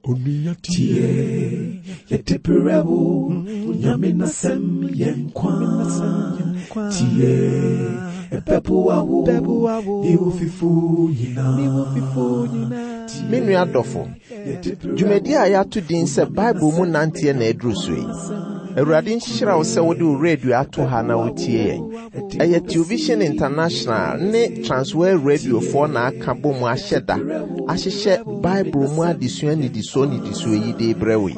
Tie, yɛde brɛ wo, Nyame n'asɛm yɛ nkwa. Tie, ɛbɛboa wo, ne wo fifo nyinaa. Me nua dɔfo, dwumadi a yɛato din sɛ Bible mu nanteɛ na aduru so yi. Awurade nhyira wo sɛ wode wo radio ato ha na wotie yɛn. Ɛyɛ Television International ne Transworld Radiofoɔ na aka bɔ mu ahyɛ da ahyehyɛ Bible mu adesua nnidisoɔ nnidisoɔ yi de rebrɛ wo yi.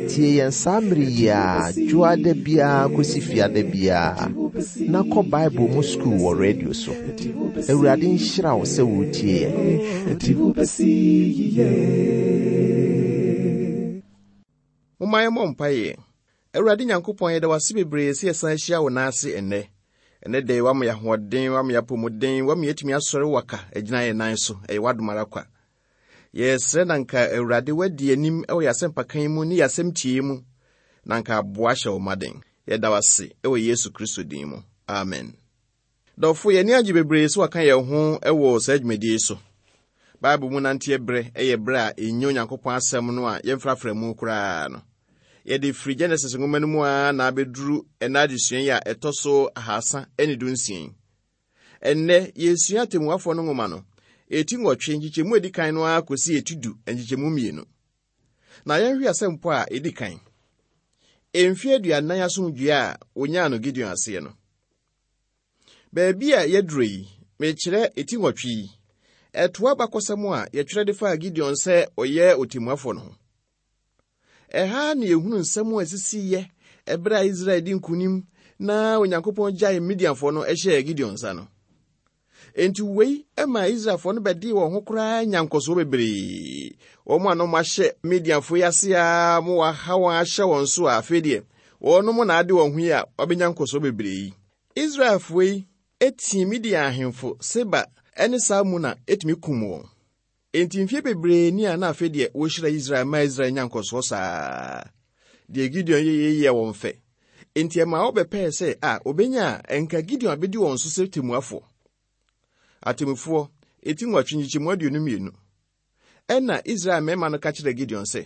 Tie yɛn saa mmere yi ara, dwoada biara kɔsi fiada biara, na kɔ Bible mu sukuu wɔ radio so. Awurade nhyira wo sɛ woretie yɛn. Momma yɛmmɔ mpaeɛ. Awurade Nyankopɔn, yɛda wo ase bebree sɛ yɛsan ahyia wo nan ase ɛnnɛ. Ɛnnɛ da yi, woama yɛn ahoɔden, woama yɛn apɔmuden, woama yɛatumi asɔre waka agyina yɛn nan so. Ɛyɛ w'adom ara kwa. Yɛsrɛ na nka Awurade woadi anim wɔ yɛn asɛmpaka yi mu ne yɛn asɛm tie mu, na nka aboa ahyɛ wo ma den. Yɛda wo ase wɔ Yesu Kristo din mu. Amen. Dɔfo, yɛn ani agye bebree sɛ wɔaka yɛn ho wɔ saa dwumadie yi so. Bible mu nanteɛ berɛ yɛ berɛ a ɛnyɛ Onyankopɔn asɛm no a yɛmfrafra mu koraa no. Yɛde firi Genesis nwoma no mu ara na abɛduru ɛnna adesua yi a ɛtɔ so ahasa ne dunsia yi. Ɛnnɛ, yɛresua Atemmuafoɔ no nwoma no, ɛti nwɔtwe nkyekyɛmu a ɛdi kan no ara kɔsi ɛti du nkyekyɛmu mmienu. Na yɛnhwɛ asɛmpɔ a ɛdi kan. Mfeɛ aduanan asomdwoeɛ a wɔnyaa no Gideon aseɛ no. Baabi a yɛaduru yi, mekyerɛ eti nwɔtwe yi, ɛtoa abakɔsɛm a yɛtwerɛ de faa Gideon sɛ ɔyɛ ɔtemmuafoɔ no ho. Ɛha na yɛhunu nsɛm a ɛsisiiɛ ɛberɛ a Israel di nkonim na Onyankopɔn gyae Midianfoɔ no hyɛɛ Gideon nsa no. Enti wei maa Israelfoɔ no bɛdee wɔn ho koraa nya nkɔsoɔ bebree. Wɔn a na wɔahyɛ Midianfoɔ yi ase a ma wɔaha wɔn ahyɛ wɔn so a afei deɛ wɔnom na ade wɔn ho yi a wɔabɛnya nkɔsoɔ bebree yi. Israelfoɔ yi tii Midian ahemfo Seba ne Salmuna tumi kum wɔn. Enti mfeɛ bebree ni a na afei deɛ wɔhyira Israel ma Israel nya nkɔsoɔ saa. Deɛ Gideon yɛeɛ yɛɛ wɔn fɛ. Enti ɛmaa wɔbɛpɛɛ sɛ a wɔbɛnya a ɛnka Gideon abɛdi wɔn so sɛ temmuafoɔ. Atemmufoɔ, eti nwɔtwe nkyekyɛmu aduonu mmienu. Ɛnna Israel mmarima no ka kyerɛɛ Gideon sɛ,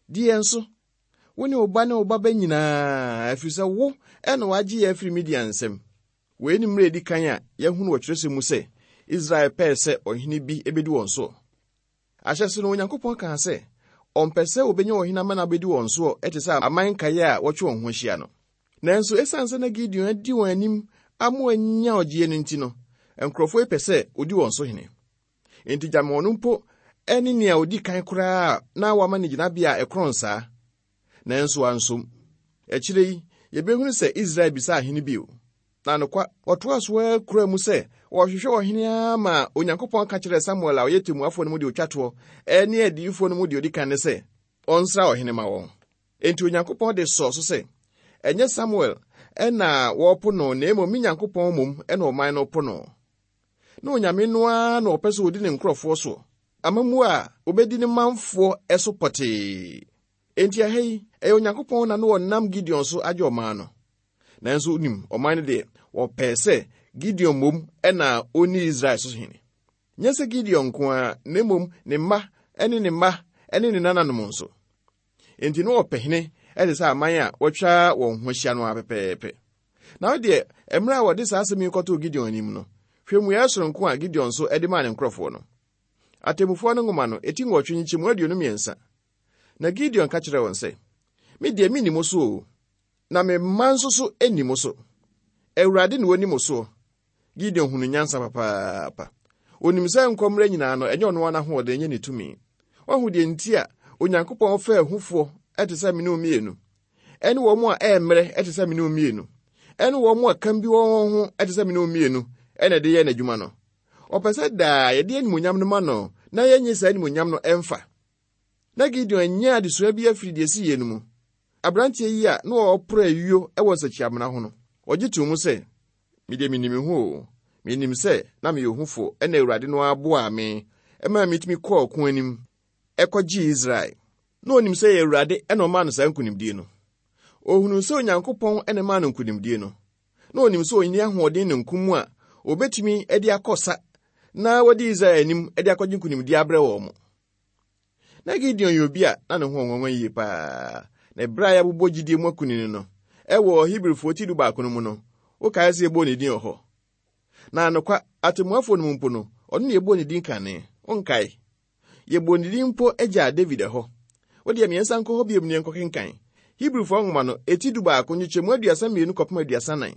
Di yɛn so, wo ne wo ba ne wo baba nyinaa, ɛfiri sɛ wo na woagye yɛn afiri Midian nsam. Wei ne mmerɛ a ɛdi kan a yɛahunu wɔ twerɛsɛm mu sɛ Israel pɛɛ sɛ ɔhene bi bɛdi wɔn soɔ. Ahyɛse no, Onyankopɔn kaa sɛ ɔmpɛ sɛ wɔbɛnya ɔhene ama no abɛdi wɔn soɔ te sɛ aman nkaeɛ a wɔatwe wɔn ho ahyia no. Nanso ɛsiane sɛ na Gideon adi wɔn anim ama wɔanya ɔgyeɛ no nti no, nkurɔfoɔ yi pɛ sɛ ɔdi wɔn so hene. Enti gyama ɔno mpo ne nea ɔdi kan koraa a na wɔama no gyinabea a ɛkorɔn saa. Nanso wansom. Akyire yi, yɛbɛhunu sɛ Israel bisaa hene bio. Na nokwa, wɔtoaa so ara kuraa mu sɛ wɔrehwehwɛ ɔhene ara maa Onyankopɔn ka kyerɛɛ Samuel a ɔyɛ temmuafoɔ no mu deɛ ɔtwa toɔ ne adiyifoɔ no mu deɛ ɔdi kan no sɛ ɔnsra ɔhene ma wɔn. Enti Onyankopɔn de sɔɔ so sɛ, Ɛnyɛ Samuel na wɔrepo no na mmom me Nyankopɔn mmom na ɔman no repo no. Na Onyame no ara na ɔpɛ sɛ ɔdi ne nkurɔfoɔ soɔ, amammuo a ɔbɛdi ne manfoɔ so pɔtee. Enti ɛha yi, ɛyɛ Onyankopɔn na na ɔnam Gideon so agye ɔman no. Nanso wonim, ɔman no deɛ, wɔpɛɛ sɛ Gideon mmom na ɔnni Israel so hene. Nyɛ sɛ Gideon nko ara, na mmom ne mma ne ne mma ne ne nananom nso. Enti na wɔpɛ hene te sɛ aman a wɔatwa wɔn ho ahyia no ara pɛpɛɛpɛ. Na wo deɛ, mmerɛ a wɔde saa asɛm yi kɔtoo Gideon anim no, hwɛ mmuaeɛ soronko a Gideon nso de maa ne nkurɔfoɔ no. Atemmufoɔ no nwoma no, eti nwɔtwe nkyekyɛmu aduonu mmiɛnsa. Na Gideon ka kyerɛɛ wɔn sɛ, Me deɛ menni mo so o, na me mma nso so nni mo so. Awurade na ɔni mo soɔ. Gideon hunu nyansa papaapa. Onim sɛ nkɔmmerɛ nyinaa no, ɛnyɛ ɔno ara n'ahoɔden, ɛnyɛ ne tumi. Wahu deɛ nti a Onyankopɔn fɛ ahufoɔ te sɛ me ne wo mmienu, ɛne wɔn a ɛremmrɛ te sɛ me ne wo mmienu, ɛne wɔn a kam bi wɔ wɔn ho te sɛ me ne wo mmienu na ɛde yɛ n'adwuma no. Ɔpɛ sɛ daa yɛde animuonyam no ma no na yɛnnye saa animuonyam no ɛmfa. Na Gideon anya adesua bi afiri deɛ ɛsiiɛ no mu. Aberanteɛ yi a na ɔreporo ayuo wɔ nsakyiamena ho no, ɔgye too mu sɛ, Me deɛ menim me ho o, menim sɛ na meyɛ ohufoɔ ɛna Awurade no ara boaa me maa metumi kɔɔ ɔko anim kɔgyee Israel. Na ɔnim sɛ ɛyɛ Awurade na ɔmaa no saa nkonimdie no. Ɔhunuu sɛ Onyankopɔn na ɛmaa no nkonimdie no. Na ɔnim sɛ ɔnni ahoɔden ne nko mu a ɔbɛtumi de akɔ sa na wadi Israel anim de akɔgye nkonimdie abrɛ wɔn. Na Gideon yɛ obi a na ne ho ɔnwanwa yie paa. Na ɛberɛ a yɛabobɔ gyidie mu akunini no, ɛwɔ Hebrifoɔ ti 11 no mu no, wokae sɛ yɛbɔɔ ne din wɔ hɔ. Na anokwa, atemmuafoɔ no mu mpo no, ɔno na yɛbɔɔ ne din kane. Wonkae? Yɛbɔɔ ne din mpo gyaa David ɛhɔ. Wo deɛ mmiɛnsa nkɔ hɔ bio ne yɛnkɔkenkan. Hebrifoɔ nwoma no, eti 11, nkyekyɛmu 32 kɔpem 34.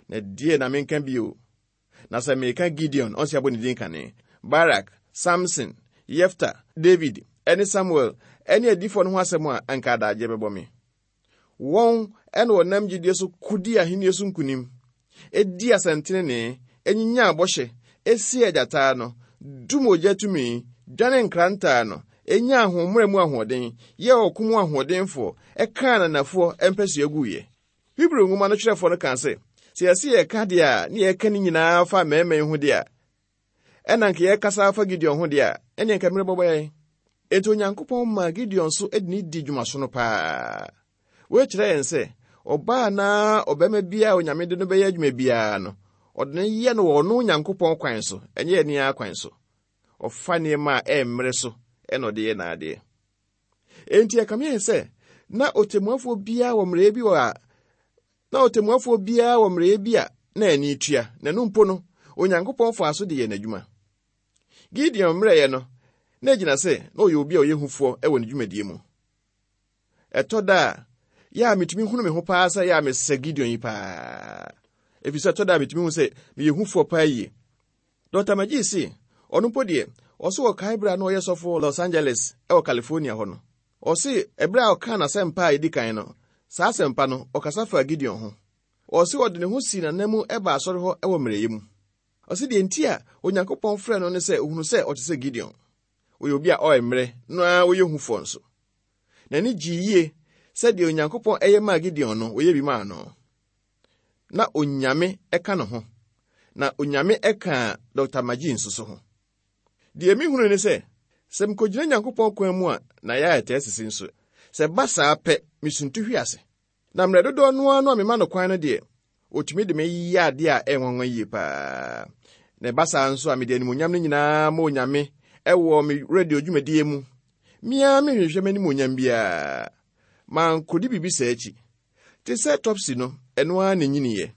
Na deɛ na menka bio? Na sɛ meka Gideon, ɔnse abɔ ne din kane, Barak, Samson, Yefta, David, ne Samuel, ne adiyifoɔ no ho asɛm a, anka adagyeɛ bɛbɔ me. Wɔn na wɔnam gyidie so ko dii ahennie so nkonim, dii asɛntenenee, nyinyaa bɔhyɛ, sii agyata ano, dum ogya tumi, dwane nkrantɛ ano, nyaa ahoɔmmerɛ mu ahoɔden, yɛɛ ɔko mu ahoɔdenfoɔ, kaa ananafoɔ mpasua guiɛ. Hebri nwoma no kyerɛfoɔ no kaa sɛ, sɛ yɛse yɛreka deɛ a ne yɛreka ne nyinaa fa mmarima yi ho deɛ a, ɛna nka yɛrekasa afa Gideon ho deɛ a, ɛneɛ nka mmerɛ bɛbɔ yɛn. Enti Onyankopɔn maa Gideon so de ne di dwumasono paa. Wei kyerɛ yɛn sɛ, ɔbaa anaa ɔbarima biara a Onyame de no bɛyɛ adwuma biara no, ɔde no yɛ no wɔ ɔno Onyankopɔn kwan so, ɛnyɛ yɛn ara kwan so. Ɔfa nneɛma a ɛmmere so na ɔde yɛ n'adeɛ. Enti ɛkame ayɛ sɛ na ɔtɛmmuafoɔ biara wɔ mmerɛyɛ bi wɔ a na ɔtɛmmuafoɔ biara wɔ mmerɛyɛ bi a na ani tua, na ɛno mpo no, Onyankopɔn faa so de yɛɛ n'adwuma. Gideon mmerɛyɛ no, na egyina sɛ na ɔyɛ obi a ɔyɛ hufoɔ wɔ ne dwumadie mu. Ɛtɔ da a, yɛ a metumi hunu me ho paa sɛ yɛ a mesɛ Gideon yi paa. Ɛfiri sɛ ɛtɔ da a metumi hu sɛ meyɛ hufoɔ paa yie. Dɔkta McGee se, ɔno mpo deɛ, ɔse ɔkae berɛ a na ɔyɛ sɔfo wɔ Los Angeles wɔ California hɔ no. Ɔse ɛberɛ a ɔkaa n'asɛmpa a ɛdi kan no, saa asɛmpa no, ɔkasa faa Gideon ho. Ɔse ɔde ne ho sii n'ananmu baa asɔre hɔ wɔ mmerɛyɛ mu. Ɔse deɛ nti a Onyankopɔn frɛɛ no ne sɛ ɔhunu sɛ ɔte sɛ Gideon. Ɔyɛ obi a ɔyɛ mmerɛ no ara ɔyɛ hufoɔ nso. N'ani gyee yie sɛ deɛ Onyankopɔn yɛ maa Gideon no, ɔyɛ bi maa no. Na Onyame ka ne ho. Na Onyame ka Dɔkta Magee nso so ho. Deɛ mehunu ne sɛ, sɛ mekɔgyina Nyankopɔn kwan mu a, na yɛ a ɛtaa sisi nso. Sɛ ɛba saa pɛ, mesuntu hwe ase. Na mmerɛ dodoɔ no ara no a mema no kwan no deɛ, ɔtumi de me yɛ adeɛ a ɛyɛ nwanwa yie paa. Na ɛba saa nso a, mede animuonyam no nyinaa ma Onyame wɔ me radio dwumadie mu. Me ara menhwehwɛ m'animuonyam biara. Mankɔdi biribi saa akyi. Te sɛ Topsy no, ɛno ara na ɛnyiniiɛ.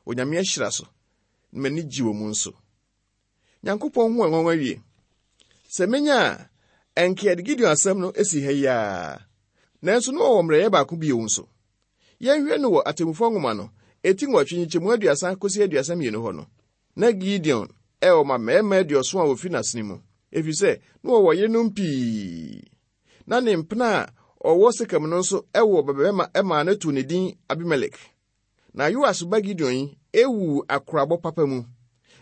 Onyame ahyira so, na m'ani gye wɔ mu nso. Nyankopɔn ho nwanwa wie. Sɛ menya a, ɛnka yɛde Gideon asɛm no si ha yi ara. Nanso na ɔwɔ mmerɛyɛ baako bio nso. Yɛnhwɛ no wɔ Atemmufoɔ nwoma no, eti 8 nkyekyɛmu 30 kɔsi 32 hɔ no. Na Gideon wɔ mmammarima aduɔson a wɔfiri n'asene mu, ɛfiri sɛ na wɔwɔ yerenom pii. Na ne mpena a ɔwɔ Sekem no nso woo ɔbabarima maa no too ne din Abimelek. Na Yoas ba Gideon yi wuu akorabɔ papa mu,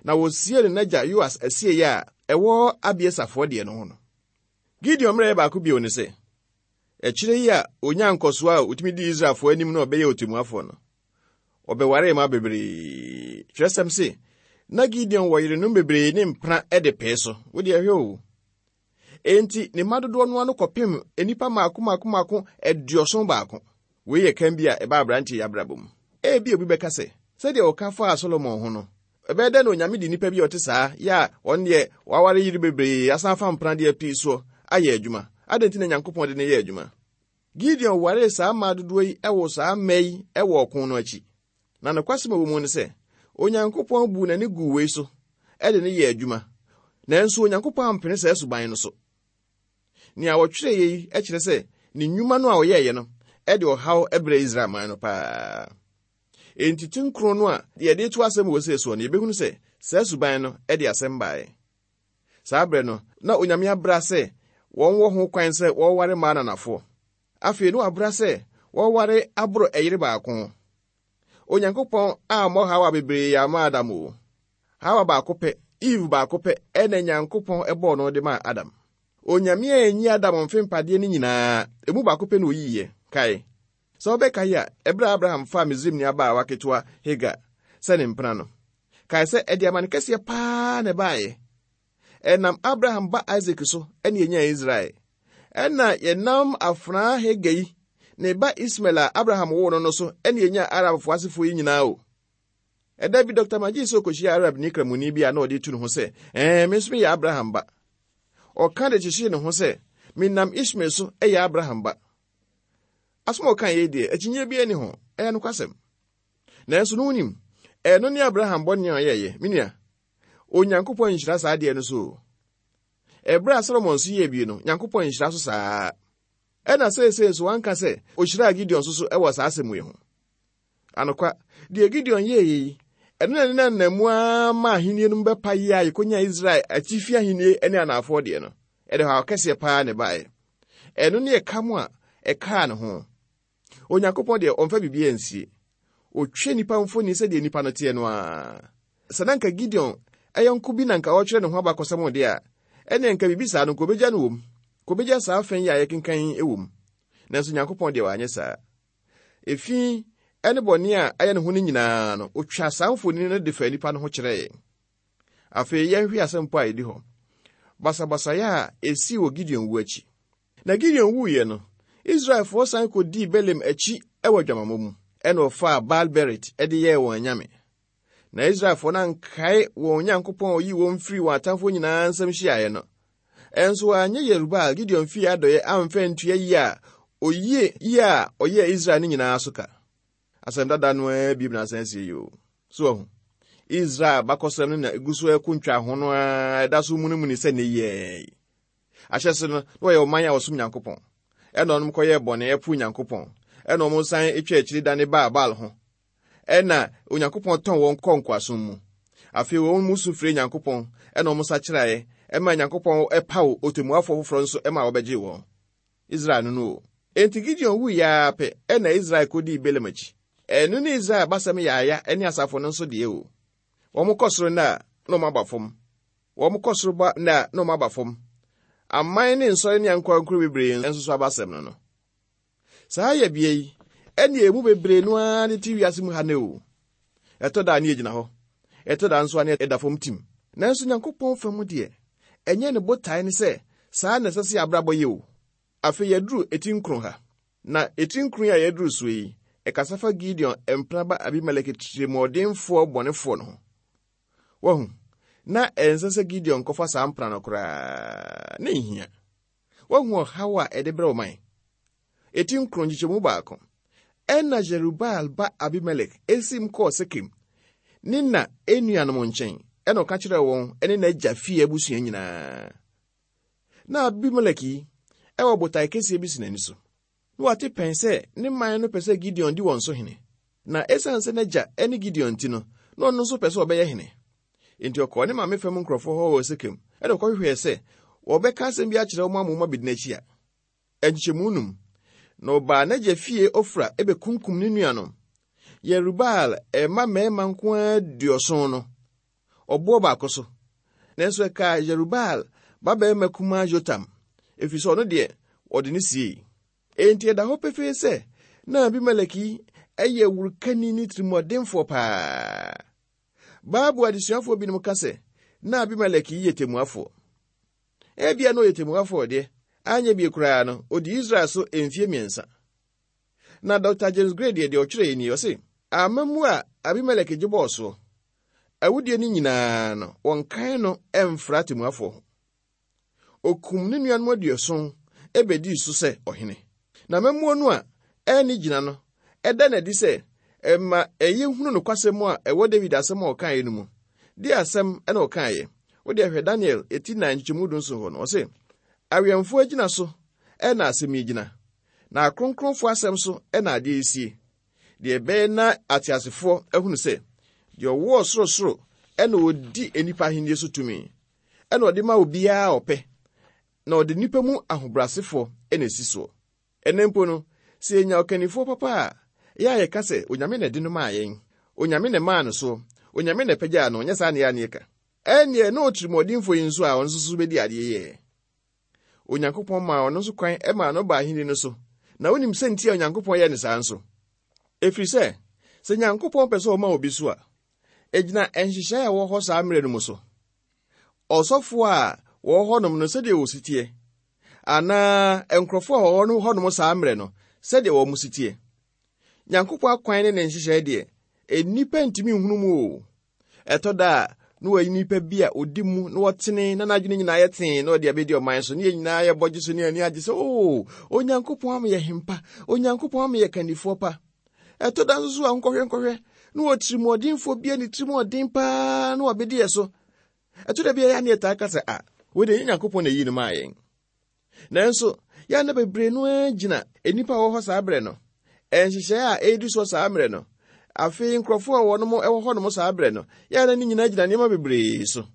na wɔsiee no n'agya Yoas asieeɛ a ɛwɔ Abieserfoɔ deɛ no ho no. Gideon mmerɛyɛ baako bio ne sɛ, akyire yi a ɔnyaa nkɔsoɔ a ɔtumi dii Israelfoɔ anim na ɔbɛyɛɛ ɔtemmuafoɔ no, ɔbɛwaree mmaa bebree. Twerɛsɛm se, na Gideon wɔ yerenom bebree ne mpena de pee so. Wo deɛ hwɛ o. Enti ne mma dodoɔ no ano kɔpem nnipa mmaako mmaako mmaako 71. Wei yɛ kan bi a ɛbaa aberanteɛ yi abrabɔ mu. Ebia obi bɛka sɛ, sɛdeɛ wɔka faa Solomon ho no, ɛbɛyɛ dɛn na Onyame de nnipa bi a ɔte saa yɛ a ɔno deɛ waware yere bebree asan afa mpena deɛ pii soɔ ayɛ adwuma? Adɛn nti na Nyankopɔn de no yɛɛ adwuma? Gideon waree saa mmaa dodoɔ yi woo saa mma yi wɔ ɔko no akyi. Na nokwasɛm a ɛwɔ mu ne sɛ, Onyankopɔn buu n'ani guu wei so de no yɛɛ adwuma. Nanso Onyankopɔn ampene saa suban no so. Nea wɔtwerɛeɛ yi kyerɛ sɛ ne nnwuma no a ɔyɛeɛ no de ɔhaw brɛɛ Israel man no paa. Enti tinkron no a yɛde to asɛm wɔ sei soɔ no, yɛbɛhunu sɛ saa suban no de asɛm baeɛ. Saa berɛ no, na Onyame abra sɛ wɔn wɔ ho kwan sɛ wɔware mmaa ananafoɔ. Afei na wabra sɛ wɔware aboro ɛyere baako. Onyankopɔn ammɔ Hawa bebree amma Adam o. Hawa baako pɛ, Eve baako pɛ ɛna Nyankopɔn bɔɔ no de maa Adam. Onyame anyi Adam mfempadeɛ no nyinaa, emu baako pɛ na oyiiɛ. Kae. Sɛ wobɛkae a, ɛberɛ a Abraham faa Misraimni abaawa ketewa Hagar sɛ ne mpena no, kae sɛ ɛde amane kɛseɛ paa na ɛbaeɛ. Ɛnam Abraham ba Isak so na yɛnyaa Israel. Ɛna yɛnam afenaa Hagar yi, ne ba Ismael a Abraham woo no no so na yɛnyaa Arabfoɔ asefoɔ yi nyinaa o. Ɛda bi Dr. Magee sɛ ɔkɔhyia Arabni Kramoni bi a na ɔde tu ne ho sɛ, ɛɛ, me nso meyɛ Abraham ba. Ɔka de kyekyee ne ho sɛ, Menam Ismael so yɛ Abraham ba. Asɛm a ɔkae yi deɛ, akyinnyeɛ biara nni ho, ɛyɛ nokwasɛm. Nanso no wonim, ɛno ne Abraham bɔne a ɔyɛeɛ, me nua. Onyankopɔn nhyira saa adeɛ no so o. Ɛberɛ a Solomon nso yɛɛ bi no, Nyankopɔn nhyira so saa. Ɛna seesei nso wanka sɛ ɔhyiraa Gideon nso so wɔ saa asɛm yi ho. Anokwa, deɛ Gideon yɛeɛ yi, ɛno na ne nanamu ara ma ahennie no mu bɛpaeɛ a yɛkɔnya Israel atifi ahennie ne anaafoɔ deɛ no. Ɛde haw kɛseɛ paa na ɛbaeɛ. Ɛno ne ɛka mu a ɛkaa ne ho. Onyankopɔn deɛ ɔmfa biribiara nsie. Ɔtwa nnipa mfoni sɛdeɛ nnipa no teɛ no ara. Sɛ na anka Gideon yɔnko bi na anka ɔretwerɛ ne ho abakɔsɛm deɛ a, ɛnneɛ anka biribi saa no anka ɔbɛgya no wom. Anka ɔbɛgya saa fã yi a yɛkenkan yi wom. Nanso Nyankopɔn deɛ wanyɛ saa. Efi ne bɔne a ayɛ ne ho no nyinaa no, ɔtwaa saa mfoni no de faa nnipa no ho kyerɛɛ yɛn. Afei yɛnhwɛ asɛmpa a ɛdi hɔ. Basabasayɛ a esii wɔ Gideon wu akyi. Na Gideon wuiɛ no, Israelfoɔ san kɔdii Baalim akyi wɔ adwamammɔ mu, ɛnna wɔfaa Baal-Berit de yɛɛ wɔn anyame. Na Israelfoɔ no ankae wɔn Nyankopɔn a ɔyii wɔn firii wɔn atamfoɔ nyinaa nsam hyiaeɛ no. Ɛnso wɔanyɛ Yerubaal, Gideon fie adɔeɛ amfa antua yie a ɔyie yie a ɔyɛɛ Israel no nyinaa so ka. Asɛm dada no ara bi na asan asie yi o. So wahu? Israel abakɔsɛm no na egu so ɛko ntwaho no ara ɛda so munimuni sɛ ne yɛɛ yi. Ahyɛse no, na wɔyɛ ɔman a wɔsom Nyankopɔn. Ɛna wɔn kɔyɛɛ bɔne ɛpo Nyankopɔn. Ɛna wɔn san atwa akyiri dane baa Baal ho. Ɛna Onyankopɔn tɔn wɔn kɔɔ nkoasom mu. Afei wɔn mu su frɛɛ Nyankopɔn, ɛna wɔn sakyeraeɛ, ɛma Nyankopɔn ɛpaw ɔtɛmmuafoɔ foforɔ nso ɛma wɔbɛgyee wɔn. Israel no no o. Enti Gideon wuiɛ ara pɛ na Israel kɔdii Balaam akyi. Ɛno ne Israel abasɛm yaaya ne asafo no nso deɛ o. Wɔkɔ soro nnɛ a, na wɔaba fam. Wɔkɔ soro ba nnɛ a, na wɔaba fam. Aman ne nsɔre ne ankorankoro bebree nso so abasɛm no no. Saa yɛbea yi, ɛne emu bebree no ara de te wiase mu ha nnɛ o. Ɛtɔ da a ne yɛgyina hɔ, ɛtɔ da nso a ne ɛda fam tim. Nanso Nyankopɔn fam deɛ, ɛnyɛ ne botae ne sɛ saa na ɛsɛ sɛ yɛabrabɔ yɛ o. Afei yɛaduru eti nkron ha. Na eti nkron yi a yɛaduru soɔ yi, ɛkasa fa Gideon mpena ba Abimelek tirimuɔdenfoɔ bɔnefoɔ no ho. Wahu, na ɛnsɛ sɛ Gideon kɔfa saa mpena no koraa. Na ɛnhia. Wahu ɔhaw a ɛde brɛ ɔman. Eti nkron nkyekyɛmu baako. Ɛnna Yerubaal ba Abimelek siim kɔɔ Sekem, ne na nuanom nkyɛn, ɛnna ɔka kyerɛɛ wɔn ne n'agya fie abusua nyinaa. Na Abimelek yi wɔ botae kɛseɛ bi si n'ani so. Na wate pɛn sɛ ne man no pɛ sɛ Gideon di wɔn so hene. Na esiane sɛ n'agya ne Gideon nti no, na ɔno nso pɛ sɛ ɔbɛyɛ hene. Enti ɔkɔɔ ne maame fam nkurɔfoɔ hɔ wɔ Sekem, ɛnna ɔkɔhwehwɛɛ sɛ wɔbɛka asɛm bi akyerɛ wɔn ama wɔabɛdi n'akyi a. Nkyekyɛmu num. Na ɔbaa n'agya fie Ofra bɛkunkum ne nuanom, Yerubaal mma mmarima nko ara duɔson no, ɔboɔ baako so. Nanso ɛkaa Yerubaal babarima kumaa Yotam, ɛfiri sɛ ɔno deɛ, wɔde no siei. Enti ɛda hɔ pefee sɛ na Abimelek yi yɛ wurukani ne tirimɔdenfoɔ paa. Bible adesuafoɔ binom ka sɛ na Abimelek yi yɛ temmuafoɔ. Ebia na ɔyɛ temmuafoɔ deɛ, anyɛ bie koraa no, ɔdii Israel so mfeɛ mmiɛnsa. Na Dɔkta James Gray deɛ, deɛ ɔtwerɛeɛ nie, ɔse, Amammuo a Abimelek gye bɔɔ soɔ, awudie no nyinaa no, wɔnkan no mfra atemmuafoɔ ho. Ɔkum ne nuanom aduɔson bɛdii so sɛ ɔhene. Na amammuo no a ɛnne gyina no, ɛda no adi sɛ ɛma ɛyɛ hunu nokwasɛm a ɛwɔ Dawid asɛm a ɔkaeɛ no mu. Deɛ asɛm na ɔkaeɛ? Wo deɛ hwɛ Daniel eti nan nkyekyɛmu dunson hɔ no, ɔse, Awɛmfoɔ agyina so na asɛm yi gyina, na akronkronfoɔ asɛm so na adeɛ yi sie, deɛ ɛbɛyɛ na ateasefoɔ ahunu sɛ deɛ ɔwɔ ɔsorosoro na ɔdi nnipa ahennie so tumi, ɛna ɔde ma obiara a ɔpɛ, na ɔde nnipa mu ahobrɛasefoɔ na ɛsi soɔ. Ɛnnɛ mpo no, sɛ yɛnya ɔkannifoɔ papa a, ɛyɛ a yɛka sɛ, Onyame na ɛde no maa yɛn. Onyame na ɛmaa no soɔ. Onyame na ɛpagyaa no. Ɛnyɛ saa na ɛyɛ a na yɛka? Ɛnneɛ na otirimuɔdenfoɔ yi nso a ɔno nso so bɛdi adeɛ yi ɛ? Onyankopɔn maa ɔno nso kwan maa no baa ahenni no so. Na wonim sɛ nti a Onyankopɔn yɛɛ no saa nso? Ɛfiri sɛ, sɛ Nyankopɔn pɛ sɛ ɔma obi so a, ɛgyina nhyehyɛe a ɛwɔ hɔ saa mmerɛ no mu so. Ɔsɔfoɔ a wɔwɔ hɔnom no sɛdeɛ wɔsi teɛ, anaa nkurɔfoɔ a wɔwɔ hɔnom saa mmerɛ no sɛdeɛ wɔn si teɛ. Nyankopɔn akwan ne ne nhyehyɛe deɛ, nnipa ntumi nhunu mu o. Ɛtɔ da a, na wayi nipa bi a ɔdi mu na ɔtene na n'adwene nyinaa yɛ tee na ɔde abɛdi ɔman so, ne yɛn nyinaa yɛbɔ gye so ne ani agye sɛ, oo, Onyankopɔn ama yɛ hempa, Onyankopɔn ama yɛ kandifoɔ pa. Ɛtɔ da nso so a nkɔhwɛ nkɔhwɛ na ɔtirimuɔdenfoɔ bi a ne tirim ɔden paa na wabɛdi yɛ so. Ɛtɔ da bi a yɛ ne yɛtaa ka sɛ, a, wei deɛ ɛnyɛ Nyankopɔn na ɛyii no maa yɛn. Nanso, yɛn na bebree no ara gyina nnipa a wɔwɔ hɔ saa berɛ no, nhyehyɛe a ɛredi soɔ saa mmerɛ no, afei nkurɔfoɔ a wɔnom wɔ hɔnom saa berɛ no, yɛn na ne nyinaa gyina nneɛma bebree so.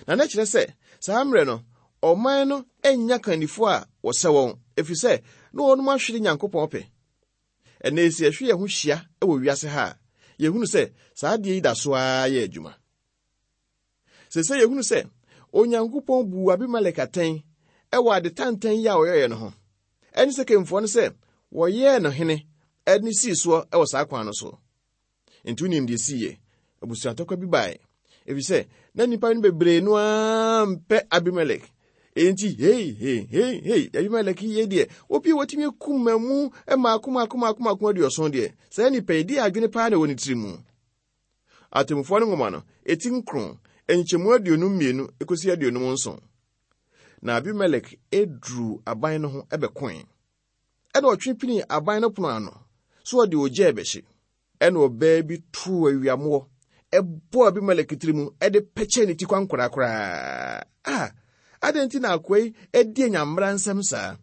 Na na kyerɛ sɛ saa mmerɛ no, ɔman no nnya kannifoɔ a wɔsɛ wɔn, ɛfiri sɛ na wɔnom ahwere Nyankopɔn pɛ. Ɛnnɛ yi sɛ yɛhwɛ yɛn ho hyia wɔ wiase ha a, yɛhunu sɛ saa adeɛ yi da so ara yɛ adwuma. Seesei yɛhunu sɛ Onyankopɔn buu Abimelek atɛn wɔ ade tantan yi a ɔyɛeɛ no ho. Ɛne Sekemfoɔ no sɛ wɔyɛɛ no hene de sii soɔ wɔ saa kwan no so. Enti wonim deɛ siiɛ? Abusuatɔkwa bi baeɛ, ɛfiri sɛ na nnipa no bebree no ara mpɛ Abimelek. Enti hei hei hei hei, Abimelek yi deɛ, obi a watumi akum mmamu mmaako mmaako mmaako mmaako 70 deɛ, saa nipa yi deɛ adwene paa na ɛwɔ ne tiri mu. Atemmufoɔ no nwoma no, eti nkron, nkyɛmu 52 kɔsi 57. Na Abimelek duruu aban no ho bɛkoe. Ɛna ɔtwe pinii aban no pono ano so ɔde ogya rebɛhye. Ɛna ɔbaa bi too awiamoɔ ɛbɔɔ Abimelek tiri mu de pɛkyɛɛ ne ti kwankoraa koraa. A, adɛn nti na akoa yi adi anyammera nsɛm saa?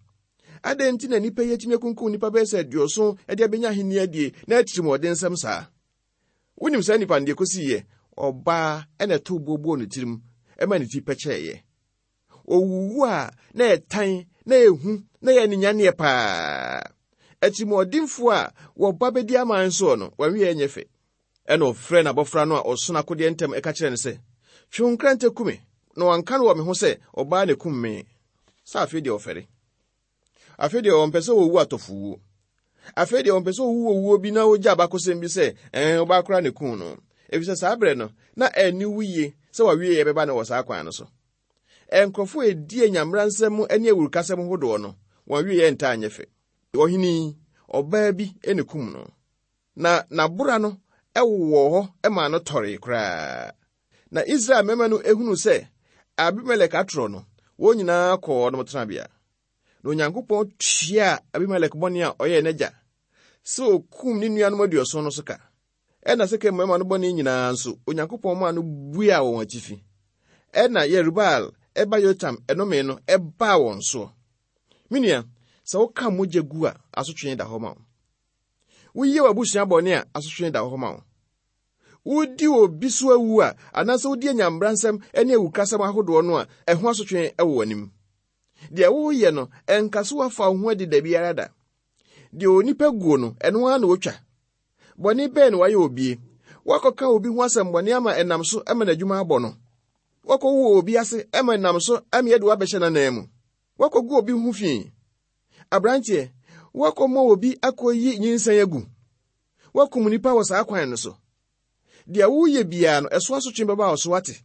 Adɛn nti na nnipa yi atumi akunkum nnipa bɛyɛ sɛ 70 de abɛnya ahenni adie na atirimuɔdensɛm saa? Wonim saa nipa no deɛ kɔsiiɛ? Ɔbaa ɛna ɛtoo boɔ bɔɔ ne tirim ɛma ne ti pɛkyɛeɛ. Owuwu a na ɛtan na ɛhu na ɛyɛ aninyanneɛ paa. Atirimuɔdenfoɔ a wɔba bɛdi aman soɔ no, wɔn awieɛ nyɛ fɛ. Ɛna ɔfrɛɛ n'abɔfra no a ɔso n'akodeɛ ntɛm ɛka kyerɛɛ no sɛ, Twe wo nkrantɛ ku me, na wɔanka no wɔ me ho sɛ ɔbaa na ɛkum me. Sɛ afei deɛ ɔfɛre. Afei deɛ ɔmpɛ sɛ ɔwu atɔfowuo. Afei deɛ ɔmpɛ sɛ ɔwu owuo bi na ɔgya abakɔsɛm bi sɛ ɛn ɔbaa koraa na ɛkuu no. Efisɛ saa berɛ no, na ɛnni wo yie sɛ w'awieeɛ bɛba no wɔ saa kwan no so. Nkurɔfoɔ a ɛdi anyamera nsɛm ne awurukasɛm hodoɔ no, wɔn awieeɛ ntaa nyɛ fɛ. Ɔhene yi, ɔbaa bi na ɛkum no, na n'abora no wowɔɔ hɔ maa no tɔree koraa. Na Israel mmarima no hunuu sɛ Abimelek atorɔ no, wɔn nyinaa kɔɔ wɔn tenabea. Na Onyankopɔn tuaa Abimelek bɔne a ɔyɛɛ n'agya sɛ okum ne nuanom 70 no so ka. Ɛnna Sekem mmarima no bɔne nyinaa nso, Onyankopɔn maa no buaa wɔn atifi. Ɛnna Yerubaal ba Yotam nnome no baa wɔn soɔ. Me nua, sɛ woka mogya gu a, asotwe da hɔ ma wo. Woyɛ w'abusua bɔne a, asotwe da hɔ ma wo. Wodi obi so awu a, anaasɛ wodi anyambransɛm ne awukasɛm ahodoɔ no a, ɛho asotwe wɔ w'anim. Deɛ woreyɛ no, ɛnka so woafa wo ho adi da biara da. Deɛ onipa guo no, ɛno ara na ɔtwa. Bɔne bɛn na wayɛ obie? Woakɔka obi ho asɛmmɔne ama ɛnam so ma n'adwuma abɔ no. Woakɔwo obi ase ma ɛnam so ama yɛde wo abɛhyɛ n'anan mu. Woakɔgu obi ho fi. Aberanteɛ, woakɔma obi akɔyi nyinsɛn agu. Woakum nnipa wɔ saa kwan no so. Deɛ woreyɛ biara no, ɛso asotwe bɛba wo so, woate?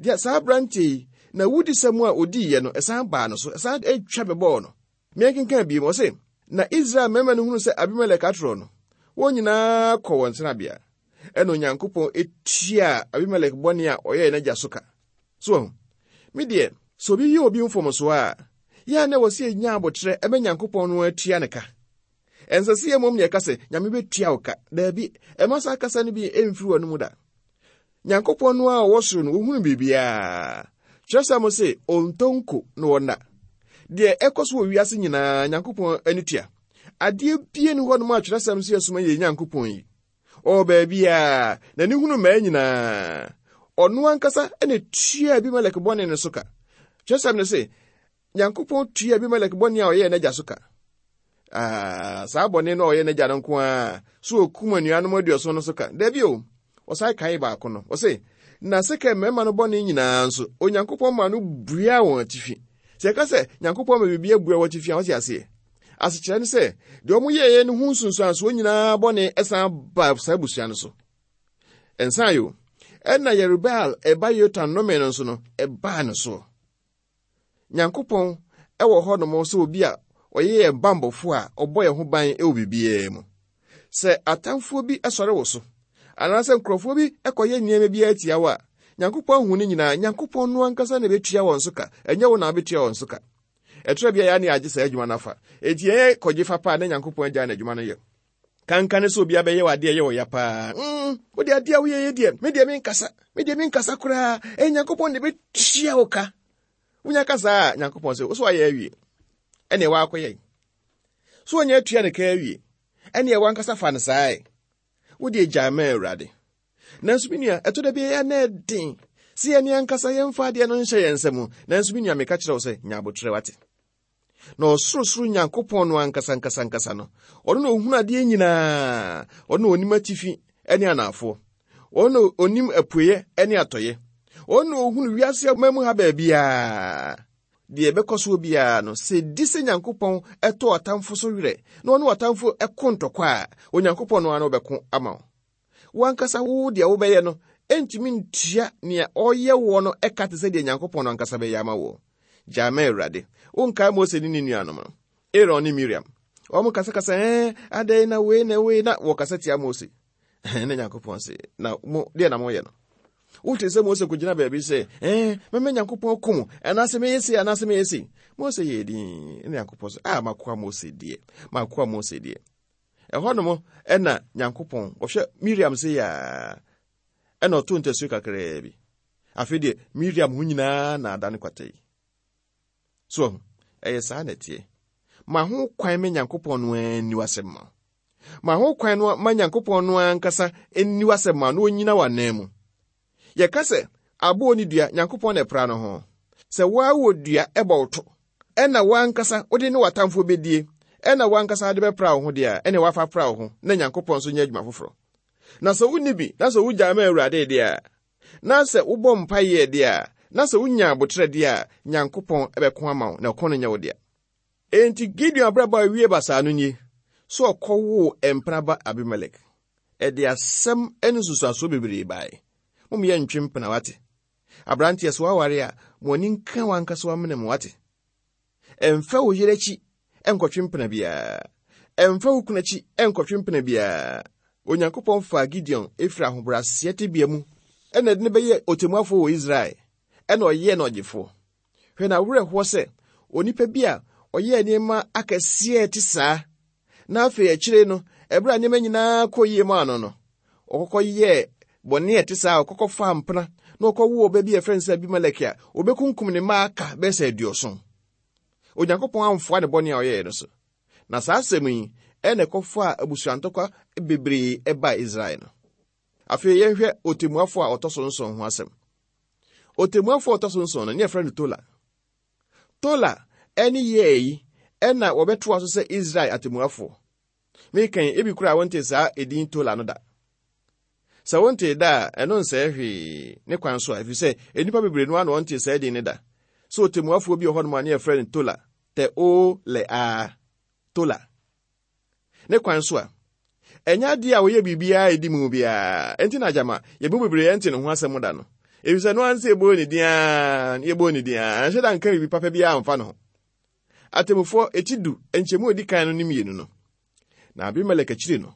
Deɛ saa aberanteɛ yi, n'awudisɛm a ɔdiiɛ no, ɛsan baa no so, ɛsan twa bɛbɔɔ no. Meɛnkenkan bio, ɔse, Na Israel mmarima no hunu sɛ Abimelek atorɔ no, wɔn nyinaa kɔ wɔn tenabea. Ɛna Onyankopɔn tuaa Abimelek bɔne a ɔyɛɛ n'agya so ka. So wahu? Me deɛ, sɛ obi yɛ obi mfomsoɔ a, yɛ a na ɛwɔ sɛ yɛnya aboterɛ ma Nyankopɔn no atua ne ka. Ɛnsɛ sɛ yɛ mmom na yɛka sɛ, Nyame bɛtua wo ka. Daabi, ɛma saa kasa no bi mfiri w'ano mu da. Nyankopɔn no a ɔwɔ soro no, ɔhunu biribiara. Kyerɛsɛm se, ɔntɔ nko na ɔnna. Deɛ ɛkɔ so wɔ wiase nyinaa, Nyankopɔn ani tua. Adeɛ bie ni hɔnom a kyerɛsɛm se ɛsoma yɛ Nyankopɔn yi. Ɔwɔ baabiara, n'ani hunu mmaa nyinaa. Ɔno ankasa na tua Abimelek bɔne no so ka. Kyerɛsɛm no se, Nyankopɔn tua Abimelek bɔne a ɔyɛɛ n'agya so ka. Ah, saa bɔne no a ɔyɛ n'agya no nko ara so okum anuanom 70 no so ka. Dabi o, ɔsan kae baako no. Ɔse, na Sekem mmarima no bɔne nyinaa nso, Onyankopɔn maa no buaa wɔn atifi. Sɛ yɛka sɛ Nyankopɔn ma biribi abua wɔn atifi a, wɔte aseɛ. Asekyerɛ ne sɛ, deɛ wɔyɛeɛ no ho nsunsuansoɔ nyinaa bɔne san ba saa abusua no so. Ɛnsan yo, ɛna Yerubaal ɛba Yotam nnome no nso no, ɛbaa no soɔ. Nyankopɔn wɔ hɔnom sɛ obi a ɔyɛ yɛn bammɔfo a ɔbɔ yɛn ho ban wɔ biribiara mu. Sɛ atamfoɔ bi sɔre wo so, anaasɛ nkurɔfoɔ bi kɔyɛ nneɛma bi atia wo a, Nyankopɔn ahu ne nyinaa. Nyankopɔn no ankasa na ɛbɛtua wɔn so ka, ɛnyɛ wo na wobɛtua wɔn so ka. Ɛtorɔ bi a yɛa ne agye saa adwuma no afa. Enti yɛn kɔgye fa paa na Nyankopɔn agyae n'adwuma no yɛ. Kanka ne sɛ obi abɛyɛ wɔ adeɛ ɛyɛ wɔ ya paa. Wode adeɛ a woyɛ yɛ deɛ, me deɛ menkasa, me deɛ menkasa koraa. Ɛyɛ Nyankopɔn na ɛbɛtua wo ka. Wonya ka saa a, Nyankopɔn sɛ, wo so ayɛ awie. Ɛneɛ woakɔyɛ. So ɔnyɛ atua ne ka awie. Ɛneɛ wankasa fa no saa ɛ. Wo deɛ gyae ma Awurade. Nanso me nua, ɛtɔ da bi ɛyɛ na ɛden sɛ yɛne ankasa yɛmfa adeɛ no nhyɛ yɛn nsa mu. Nanso me nua, meka kyerɛ wo sɛ, nya abotrɛ wate. Na ɔsorosoro Nyankopɔn no ankasa ankasa ankasa no, ɔno na ɔhunu adeɛ nyinaa. Ɔno na ɔnim atifi ne anaafoɔ. Ɔno na ɔnim apueɛ ne atɔeɛ. Ɔno na ɔhunu wiase ama mu ha baabiara. Deɛ ɛbɛkɔ soɔ biara no, sɛ ɛdi sɛ Nyankopɔn tɔ ɔtamfo so werɛ na ɔne ɔtamfo ko ntɔkwa a, Onyankopɔn no ara na ɔbɛko ama wo. Wo ankasa wo deɛ wobɛyɛ no ntumi ntua nea ɔyɛ woɔ no ka te sɛ deɛ Nyankopɔn no ankasa bɛyɛ ama woɔ. Gyae ma Awurade. Wonkae Mose ne ne nuanom no, Aaron ne Miriam. Wɔn kasakasa, ɛɛ, adɛn na wei na wei na wɔkasa tia Mose. Na Nyankopɔn se, na mo, deɛ na moyɛ no? Wote sɛ Mose kɔgyina baabi sɛ, ɛɛ, mɛmɛ Nyankopɔn ko mo, anaasɛ mɛyɛ sei, anaasɛ mɛyɛ sei. Mose yɛɛ din, na Nyankopɔn sɛ, ah, makoa Mose deɛ, makoa Mose deɛ. Ɛhɔnom ɛna Nyankopɔn, ɔhwɛ Miriam sɛ yaa, ɛna ɔto ntasuo kakraa bi. Afei deɛ, Miriam ho nyinaa na adane kwata yi. So ahu? Ɛyɛ saa na ɛteɛ. Ma ho kwan ma Nyankopɔn no ara nni w'asɛm ma wo. Ma ho kwan no ma Nyankopɔn no ankasa nni w'asɛm ma na onyina w'anan mu. Yɛka sɛ aboɔ ne dua, Nyankopɔn na ɛpra no ho. Sɛ woa wɔ dua ɛbɔ wo to, ɛna woankasa wode ne w'atamfoɔ bɛdie, ɛna woankasa wode bɛpra wo ho deɛ a, ɛne woafa pra wo ho na Nyankopɔn nso nyɛ adwuma foforɔ. Na sɛ wonni bi, na sɛ wogyaa ma Awurade deɛ a, Na sɛ wobɔ mpaeɛ deɛ a, na sɛ wonya aboterɛ deɛ a, Nyankopɔn bɛko ama wo, na ɔko no nyɛ wo dea. Enti Gideon abrabɔ a ɛwie basaa no nie, sɛ ɔkɔwoo mpena ba Abimelek. Ɛde asɛm ne nsusuasoɔ bebree baeɛ. Mom yɛntwe mpena, wate? Aberanteɛ, sɛ woaware a, ma w'ani nka w'ankasa w'amena mu, wate? Mfa wo yere akyi nkɔtwe mpena biara. Mfa wo kunu akyi nkɔtwe mpena biara. Onyankopɔn faa Gideon firi ahobrɛaseɛ tebea mu ɛna ɛde no bɛyɛɛ ɔtemmuafoɔ wɔ Israel, ɛna ɔyɛɛ no ɔgyefoɔ. Hwɛ n'awerɛhoɔ sɛ onipa bi a ɔyɛɛ nneɛma akɛseɛ a ɛte saa, na afei akyire no, ɛberɛ a nneɛma nyinaa kɔ yie maa no no, ɔkɔkɔ yɛɛ bɔne a ɛte saa, ɔkɔkɔ faa mpena na ɔkɔwoo ɔba bi a ɛfrɛ no sɛ Abimelek a ɔbɛkunkum ne mma aka bɛyɛ sɛ 70. Onyankopɔn amfoa ne bɔne a ɔyɛeɛ no so. Na saa asɛm yi ɛna ɛkɔfaa abusuantɔkwa bebree ɛbaa Israel no. Afei yɛnhwɛ ɔtemmuafoɔ a ɔtɔ so nson ho asɛm. Ɔtemmuafoɔ a ɔtɔ so nson no, ne yɛfrɛ no Tola. Tola ne Yair yi na wɔbɛtoa so sɛ Israel atemmuafoɔ. Meka yi, ebi koraa wontee saa edin Tola no da. Sɛ wontee da a, ɛno nsɛe hwee ne kwan so a, ɛfiri sɛ nnipa bebree no ara na wɔntee saa edin no da. Sɛ ɔtemmuafoɔ bi wɔ hɔnom a ne yɛfrɛ no Tola, T-O-L-A, Tola. Ne kwan so a, ɛnyɛ adeɛ a ɔyɛ biribiara a ɛdi mu biara. Enti na gyama yɛn mu bebree ɛnte ne ho asɛm da no. Efisɛ no ara sɛ yɛbɔɔ ne din ara, yɛbɔɔ ne din ara, anhyɛ da nka biribi papa biara amfa ne ho. Atemmufoɔ eti du, nkyɛmu a ɛdi kan no ne mmienu no. Na Abimelek akyiri no,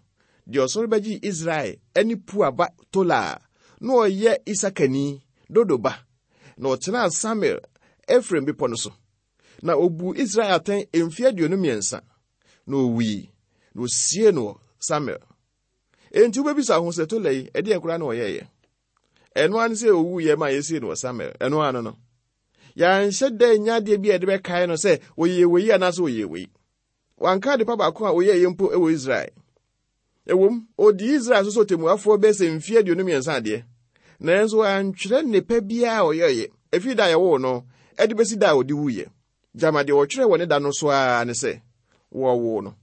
deɛ ɔsɔre bɛgyee Israel ne Pua ba Tola a na ɔyɛ Isakani, Dodo ba, na ɔtenaa Samir, Efraim bepɔ no so. Na obuu Israel atɛn mfe 23, na owui, na osiee no wɔ Samir. Enti wobɛbisa ho sɛ Tola yi, ɛdeɛn koraa na ɔyɛeɛ? Ɛno ara ne sɛ owuiɛ ma yɛsiee no wɔ Samir. Ɛno ara no no. Yɛanhyɛ da nya adeɛ bi a yɛde bɛkae no sɛ ɔyɛɛ wei anaasɛ ɔyɛɛ wei. Wanka adepa baako a ɔyɛeɛ mpo wɔ Israel. Ɛwom, ɔdii Israel so sɛ ɔtemmuafoɔ bɛyɛ sɛ mfeɛ 23 adeɛ, nanso wantwerɛ nnepa biara a ɔyɛeɛ ɛfiri da a yɛwoo no de bɛsi da a ɔde wuiɛ. Gyama deɛ wɔtwerɛ wɔ ne da no so ara ne sɛ wɔwoo no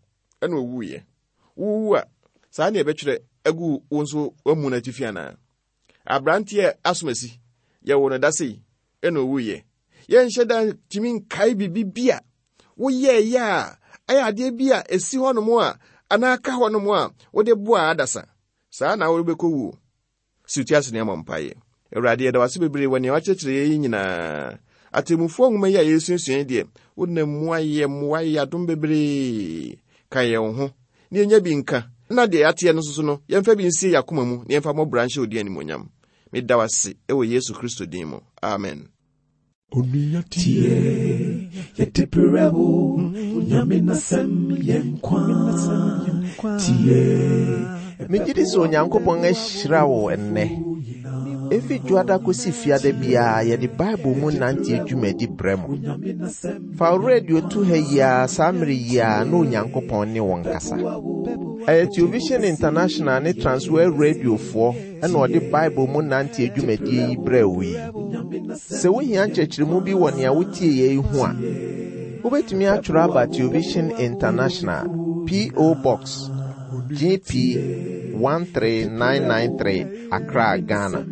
ɛna ɔwuiɛ. Wowu a, saa ne ɛbɛtwerɛ agu wo nso w'amu no atifi anaa? Aberanteɛ asomasi, yɛwoo no da sei ɛna ɔwuiɛ. Yɛnhyɛ da ntumi nkae biribi bi a woyɛeɛ a ɛyɛ adeɛ bi a ɛsi hɔnom a anaa ka hɔnom a wode boaa adasa. Saa na wobɛkɔ wuo. Si wo ti ase na yɛmmɔ mpaeɛ. Awurade, yɛda wo ase bebree wɔ nea woakyerɛkyerɛ yɛn yi nyinaa. Atemmufoɔ nwoma yi a yɛresuasua yi deɛ, wonam mu ayɛ mmoa ayɛ adom bebree. Ka yɛn ho na yɛnya bi nka. Na deɛ yɛateɛ no nso so no, yɛmfa bi nsie yɛn akoma mu na yɛmfa mmɔ bra nhyɛ wo din animuonyam. Meda wo ase wɔ Yesu Kristo din mu. Amen. Onua tie, yɛde brɛ wo, Nyame n'asɛm yɛ nkwa. Tie. Megye di sɛ Onyankopɔn ahyira wo ɛnnɛ. Efi Dwoada kosi Fiada biara yɛde Bible mu nante dwumadi brɛ mo. Fa wo radio to ha yi ara saa mmere yi ara na Onyankopɔn ne wo nkasa. Ɛyɛ Television International ne Transworld Radiofoɔ na ɔde Bible mu nante dwumadie yi brɛɛ wo yi. Sɛ wohia nkyerɛkyerɛmu bi wɔ nea wotieeɛ yi ho a, wobɛtumi atwerɛ aba Television International, P.O. Box, GP 13993, Accra, Ghana.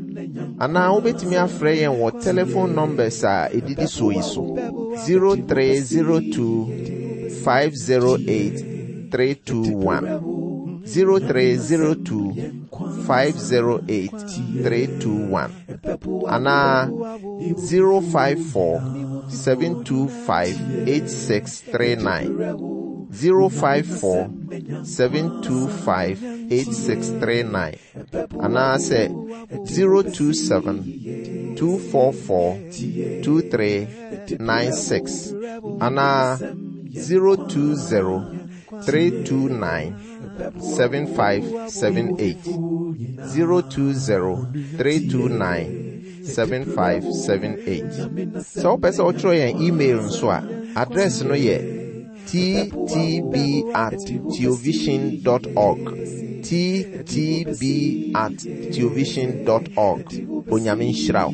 Anaa wobɛtumi afrɛ yɛn wɔ telephone numbers a ɛdidi soɔ yi so 0302 508 321 0302 508 321 anaa 054 725 8639 054 725 8639 anaasɛ 027 244 2396 anaa 020 329 7578 020 329 7578. Sɛ wopɛ sɛ wotwerɛ yɛn email nso a, address no yɛ ttb at teovision dot org. ttb at teovision dot org. Onyame nhyira wo.